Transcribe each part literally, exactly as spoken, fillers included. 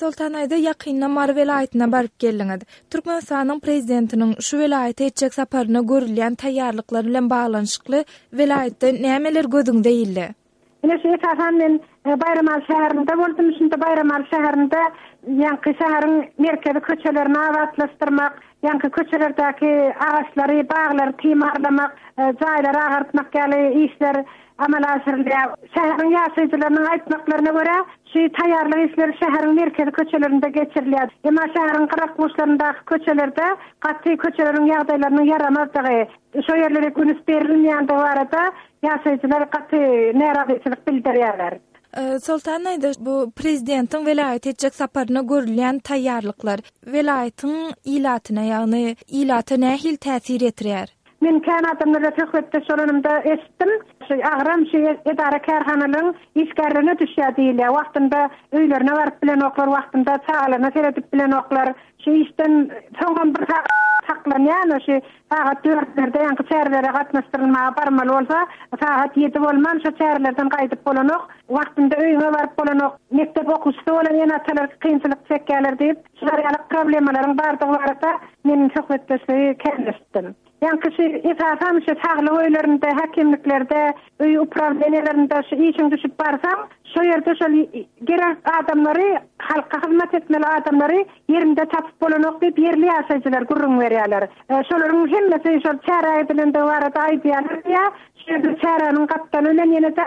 Soltan daýza, ýakynda Mary welaýatyna baryp geldiňiz. Türkmenistanyň Prezidentiniň şu welaýata etjek saparyna görülýän taýýarlyklar bilen baglanyşykly welaýatda nämeler gözüňize ildi? Ine şu esasan men Baýramaly şäherinde boldum. Şunda Baýramaly şäherinde ýaňky şäheriň merkezi köçelerini abatlaşdyrmak, ýaňky köçelerdäki agaçlary, baglary timarlamak, jaýlary agartmak ýaly işler amala aşyrylýar. Şäheriň ýaşaýjylarynyň aýtmaklaryna görä, şu taýýarlyk işleri şäheriň merkezi köçelerinde geçirilýär. Emma şäheriň gyrak-burçlaryndaky köçelerde gaty köçeleriň ýagdaýlarynyň ýaramazdygy, şo ýerlere üns berilmeýändigi barada ýaşaýjylar gaty närazyçylyk bildirýärler. Soltan daýza, bu prezidentiň welaýata etjek saparyna görülýän taýýarlyklar welaýatyň ilatyna, ýagny ilata nähili täsir ýetirýär? Men kän adamlarla söhbetdeş bolanymda eşitdim, şu agram şu edara-kärhanalaryň işgärlerine düşýär diýilýär. Wagtynda öýlerine baryp bilenoklar, wagtynda çagalaryna seredip bilenoklar. Şu işden soňam bir sagat saklanýar, şu sagat dörtlerde ýaňky çärelere gatnaşdyrylmaga barmaly bolsa, sagat ýedi bolman şu çärelerden gaýdyp bolanok, wagtynda öýüňe baryp bolanok, mekdep okuwçysy bolan ene-atalar kynçylyk çekýärler diýip, şular ýaly problemalaryň bardygy barada men söhbetdeşligi kän eşitdim. Ýaňky şu esasan şu saglyk öýlerinde, häkimliklerde, öý uprawleniýalarynda şu işiň düşüp barsaň, şo ýerde şol gerek adamlary, halka hyzmat etmeli adamlary ýerinde tapyp bolanok diýip ýerli ýaşaýjylar gürrüň berýärler. Şolaryň hemmesi şol çäre edilendigi barada aýdýarlar diýýär. Şu ýerde çäräniň gapdaly bilen ýene-de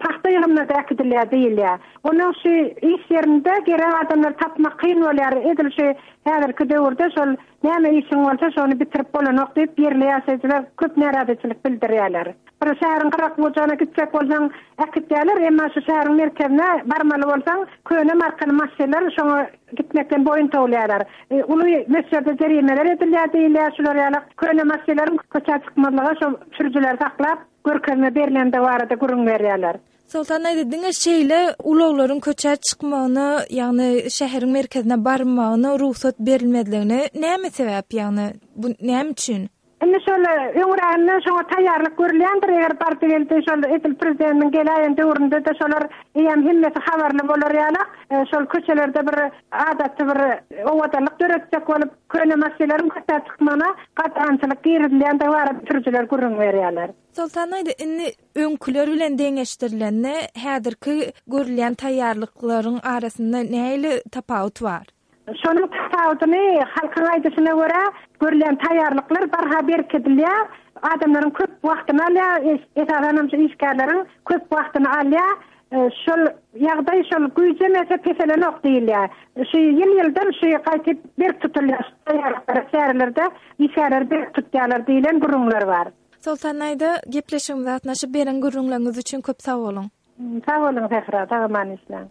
pagta ýygymyna-da äkidilýär diýilýär. Onuň şu iş ýerinde gerek adamlary tapmak kyn bolýar. Edil şu häzirki döwürde şol näme işiň bolsa şony bitirip bolanok diýip ýerli ýaşaýjylar köp närazyçylyk bildirýärler. Bir şäheriň gyrak-bujagyna gitjek bolsaň äkitýärler, emma şu şäheriň merkezine barmaly bolsaň köne markaly maşynlar şoňa gitmekden boýun towlaýarlar. Uly möçberde jerimeler edilýär diýilýär, şular ýaly köne maşynlaryň köçä çykmazlygy şo sürüjileri saklap görkezme berlendigi barada gürrüň berýärler. Soltan daýza, diňe şeýle ulaglaryň köçä çykmagyna, ýagny şäheriň merkezine barmagyna rugsat berilmezligine näme sebäp, ýagny bu näme üçin? Indi şol öňräginden şoňa taýýarlyk görülýändir, eger bardy geldi şol edil prezidentiň geläýen döwründe-de şolar eýýäm hemmesi habarly bolar ýaly, şol köçelerde bir adaty bir owadanlyk döretjek bolup köne maşynlaryň köçä çykmagyna gadagançylyk girizilýändigi barada sürüjiler gürrüň berýärler. Soltan daýza, indi öňküler bilen deňeşdirilende häzirki görülýän taýýarlyklaryň arasynda nähili tapawut bar? Şonuň tapawudyny halkyň aýdyşyna görä görülýän taýýarlyklar barha berkidilýär, adamlaryň köp wagtyny alýar, esasan hem şu işgärleriň köp wagtyny alýar. Şol ýagdaý şol güýjemese peselenok diýilýär. Şu ýyl-ýyldan şu gaýtyp berk tutulýar, taýýarlyklar çärelerde işgärler berk tutýarlar diýlen gürrüňler bar. Soltan daýza, gepleşigimize gatnaşyp beren gürrüňleriňiz üçin köp sag boluň. Sag boluň Sähra, sag aman işläň.